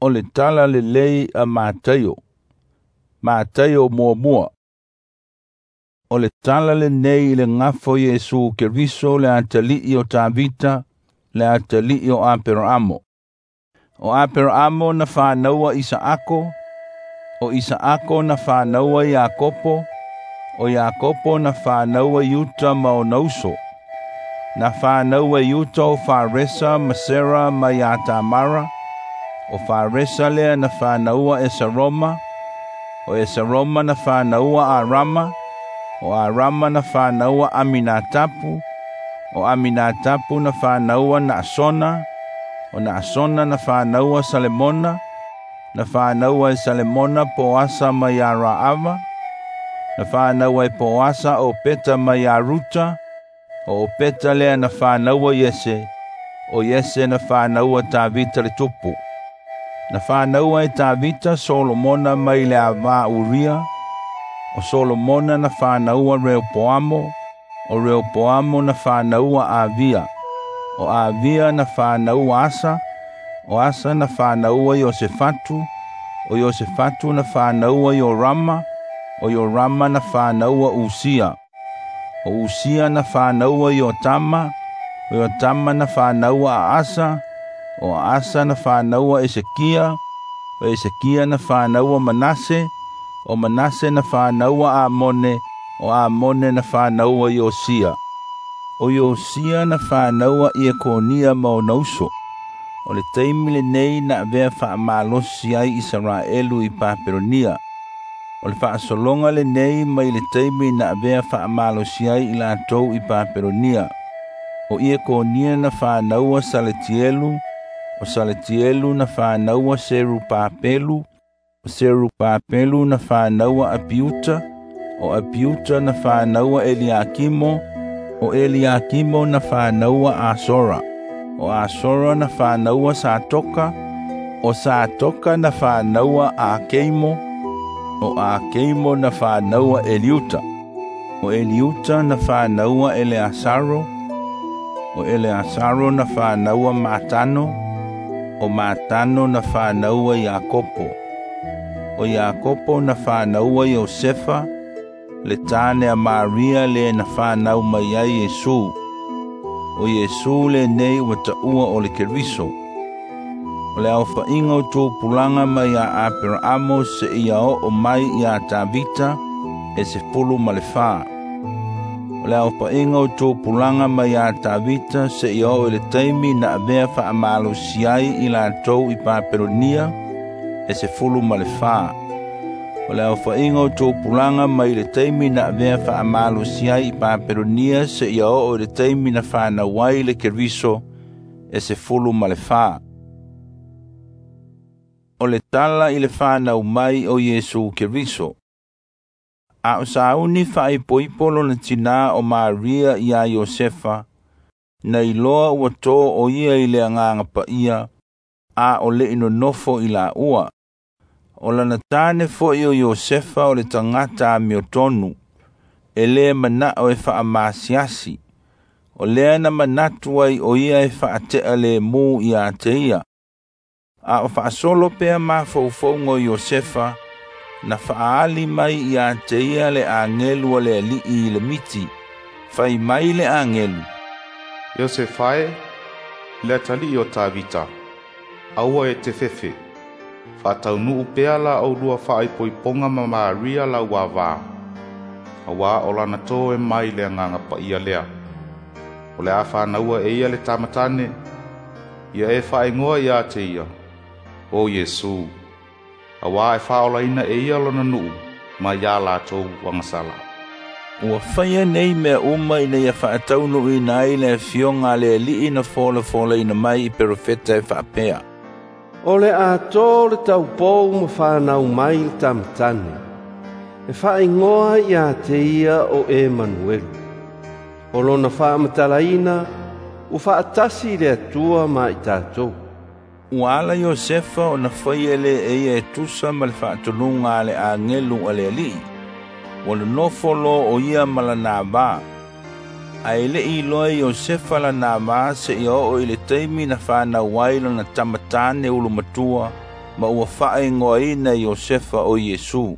O le Tala Lelei a Mataio. Mataio 1. O le tala lenei i le gafa o Iesu Keriso le atalii o Tavita, le atalii o Aperaamo. O Aperaamo na fanaua Isaako, o Isaako na fanaua Iakopo, o Iakopo na fanaua Iuta ma ona uso. Na fanaua Iuta o Faresa ma Sera ma ia Tamara, o Faresa lea na fanaua Esaroma, o Esaroma na fanaua Arama, o Arama na fanaua Aminatapu, o Aminatapu na fanaua Naasona, o Naasona na fanaua Salemona, na fanaua e Salemona Poasa ma ia Raava, na fanaua e Poasa o Peta ma ia Ruta, o Peta lea na fanaua Iese, o Iese na fanaua Tavita le tupu. Na fanaua e Tavita Solomona mai le avā Uria, o Solomona na fanaua Reopoamo, o Reopoamo na fanaua Avia, o Avia na fanaua Asa, o Asa na fanaua Iosefatu, o Iosefatu na fanaua Iorama, o Iorama na fanaua Usia, o Usia na fanaua Iotama, o Iotama na fanaua Asa, o Asa na fanaua Esekia, o Esekia na fanaua Manase, o Manase na fanaua Amone, o Amone na fanaua Iosia. O Iosia na fanaua Iekonia ma ona uso. O le taimi lenei na avea faamalosi ai Isaraelu i Papelonia. O le faasologa lenei mai le taimi na avea faamalosi ai i latou i Papelonia. O Iekonia na fanaua Saletielu, o Saletielu na fanaua Serupapelu, o Serupapelu na fanaua Apiuta, o Apiuta na fanaua Eliakimo, o Eliakimo na fanaua Asora, o Asora na fanaua Satoka, o Satoka na fanaua Akeimo, o Akeimo na fanaua Eliuta, o Eliuta na fanaua Eleasaro, o Eleasaro na fanaua Matano, o Matano na fanaua Iakopo, o Iakopo na fanaua Iosefa, le tane a Maria le na fanau mai ai Iesu. O Iesu lenei ua taua o le Keriso. O le aofaiga o tupulaga mai ia Aperaamo seia oo mai ia Tavita e 14. O le aofaiga o tupulaga mai ia Tavita seia oo i le taimi na avea faamalosi ai i latou i Papelonia e 14. O le aofaiga o tupulaga mai le taimi na avea faamalosi ai i Papelonia seia oo i le taimi na fanau ai le Keriso e 14. O le tala i le fanau mai o Iesu Keriso. A o sauni faaipoipo lona tinā o Maria iā Iosefa, na iloa ua tō o ia i le agaga paia, a o le'i nonofo i laua. O lana tane fo'i o Iosefa o le tagata amiotonu, e lē mana'o e fa'amasiasi, o lea na manatu ai o ia e fa'ate'a lēmū iā te ia. A o fa'asolo pea mafaufauga o Iosefa, na fa'aali mai iā te ia le agelu a le ali'i i le miti. Fai mai le agelu, Iosefa e, le atalii o Tavita, aua e te fefe, faataunuu pea la aulua faaipoipoga ma Maria lau avā, auā o lana tō e mai le agaga paia lea. O le a fanaua e ia le tamatane, ia e faaigoa iā te ia, o Iesu, auā e faaolaina e ia lona nuu mai iā latou agasala. Ua faia nei mea uma ina ia faataunuuina ai le afioga a le Alii na folafolaina mai i perofeta e faapea, O le a tō le taupou ma whanau mai le tamatane, e whaingoa ia te ia o Emanuelu. O lona whaamatalaina, ua whaatasi le Atua ma i tātou. Ua ala Iosefa ona faia lea e ia e tusa ma le faatonuga a le agelu a le Alii. Ua nonofo loa o ia ma lana avā. Ae le'i iloa e Iosefa lana avā seia oo i le taimi na fanau ai lona tamatane ulumatua, ma ua faaigoaina e Iosefa o Iesu.